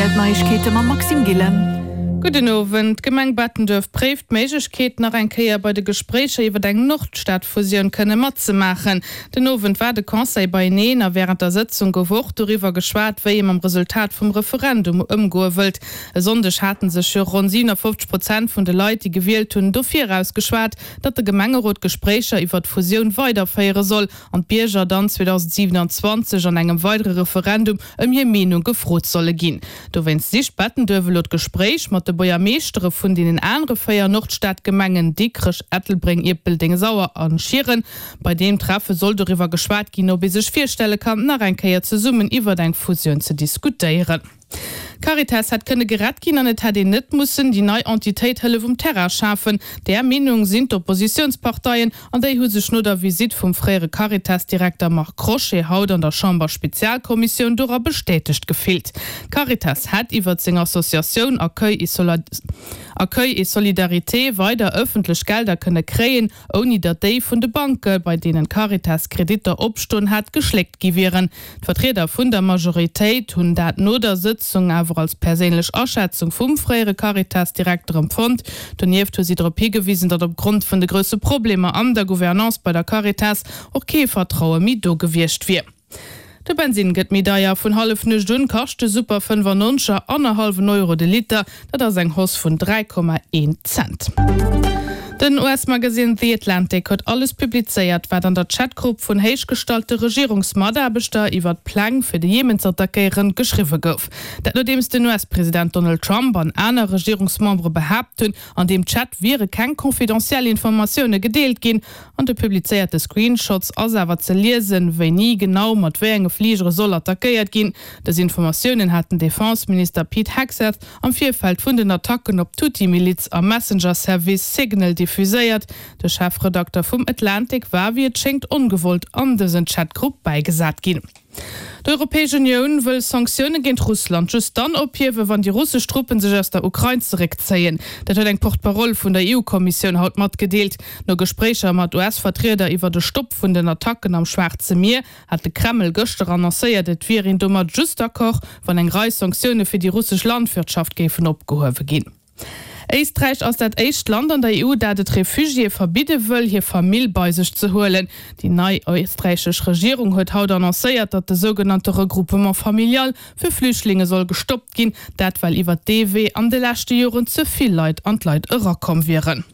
Rtl D'Neiegkeete mam Maxime Gillen. Gudden Owend. D'Gemeng Bettenduerf préift d'Méiglechkeet, nach eng Kéier bei de Gespréicher iwwer eng Nordstad-Fusioun kënne matzemaachen. Den Owend war de Conseil beieneen a wärend der Sëtzung gouf och doriwwer geschwat, wéi ee mam Resultat vum Referendum ëmgoe wëllt. E Sonndeg hate sech jo ronn 57 Prozent vun de Leit, déi gewielt hunn, dofir ausgeschwat, datt de Gemengerot d'Gespréicher iwwer d'Fusioun weiderféiere soll an d'Bierger dann 2027 an engem weidere Referendum ëm hir Meenung gefrot solle ginn. Dowéinst sicht Bettenduerf elo d'Gespréich mat de Buergermeeschtere vun deenen anere 4 Nordstadgemengen, Dikrech, Ettelbréng, Ierpeldeng, Sauer a Schieren. Bei deem Treffe soll doriwwer geschwat ginn, ob ee sech virstelle kann, nach eng Kéier zesummen iwwert eng Fusioun ze diskutéieren. D'Caritas hätt kënne gerett ginn an et hätt een net mussen déi nei Entitéit Hëllef um Terrain schafen. Där Meenung sinn d'Oppositiounsparteien an déi hu sech no der Visitt vum fréiere Caritas-Direkter Marc Crochet haut an der Chamber-Spezialkommissioun dora bestätegt gefillt. D'Caritas hätt iwwert seng Associatioun Accueil et Solidarité weider ëffentlech Gelder kënne kréien, ouni datt déi vun de Banke, bei deenen d'Caritas Kreditter opstoen hat, geschléckt gi wieren. D'Vertrieder vun der Majoritéit hunn dat no der Sëtzung awer als perséinlech Aschätzung vum fréiere Caritas-Direkter empfonnt. Donieft hu si drop higewisen, datt opgrond vun de grousse Problemer an der Gouvernance bei der Caritas och kee Vertraue méi do gewiescht wier. De Bensinn gëtt méi deier. Vun Hallefnuecht un kascht de Super 95er annerhallwen Euro de Liter. Dat ass eng Hausse vun 3,1 Cent. Den US-Magasinn The Atlantic huet alles publizéiert, wat an der Chatgrupp vun héichgestallte Regierungsmataarbechter iwwer d'Pläng, fir de Jemen z'attackéieren, geschriwwe gouf. Dat nodeems den US-President Donald Trump an aner Regierungsmembere behaapt hunn, an deem Chat wiere keng confidentiel Informatioune gedeelt ginn. An de publizéierte Screenshots ass awer ze liesen, wéini genau mat wéi enge Fligere soll attackéiert ginn. Dës Informatiounen hat den Defense-Minister Pete Hegseth am Virfeld vun den Attacken op d'Huthi-Miliz am Messenger-Service Signal diffuséiert. De Chefredakter vum Atlantic war, wéi et schéngt, ongewollt an dësen Chat-Grupp bäigesat ginn. D'Europäesch Unioun wëll Sanktioune géint Russland just dann ophiewen, wann déi russesch Truppen sech aus der Ukrain zeréckzéien. Dat huet eng Porte-parole vun der EU-Kommissioun haut matgedeelt. No Gespréicher mat US-Vertrieder iwwert e Stopp vun den Attacken am Schwaarze Mier hat de Kreml gëschter annoncéiert, et wier een domat just d'accord, wann eng Rei Sanktioune fir déi russesch Landwirtschaft géifen opgehuewe ginn. Éisträich ass dat éischt Land an der EU, dat et Refugiéë verbidde wëll, hir Famill bei sech ze huelen. Déi nei éisträichesch Regierung huet haut annoncéiert, datt de sougenannte Regroupement familial fir Flüchtlinge soll gestoppt ginn. Dat well iwwert dee Wee an de leschte Joren ze vill Leit an d'Leit erakomm wieren.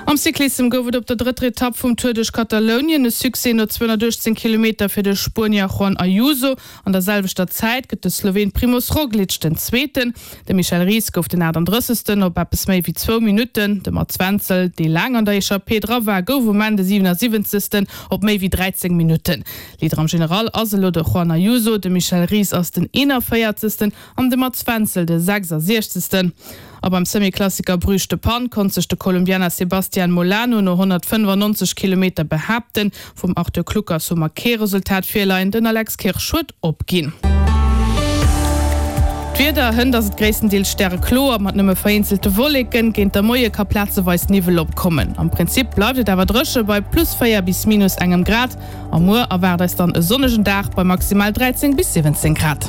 Am Cyclissem gouf et op der drëtter Etapp vum Tour duerch Katalounien e Succès no 218 Kilometer fir de Spuenier Juan Ayuso. An der selwechter Zäit gëtt de Sloween Primoz Roglic den Zweeten. De Michel Ries gouf den 38. op eppes méi wéi zwou Minutten. De Mats Wenzel, dee laang an der Echappée dra war, gouf um Enn de 77. op méi wéi 13 Minutten. Leader am General ass elo de Juan Ayuso, de Michel Ries ass den 41. An de Mats Wenzel de 66. A beim Semi-Klassiker Bruges-De Panne konnt sech de Kolumbianer Sebastian Molano no 195 Kilometer behaapten. Vum Arthur Kluckers hu mer kee Resultat virleien, den Alex Kirsch huet opginn. D'Wieder, Hënt ass et gréisstendeels stärekloer mat nëmme vereenzelte Wolleken. Géint der Moie ka plazeweis Niwwel opkommen. Am Prinzip bleift et awer dréche bei plus 4 bis minus engem Grad. A muer erwaart eis dann e sonnegen Dag bei maximal 13 bis 17 Grad.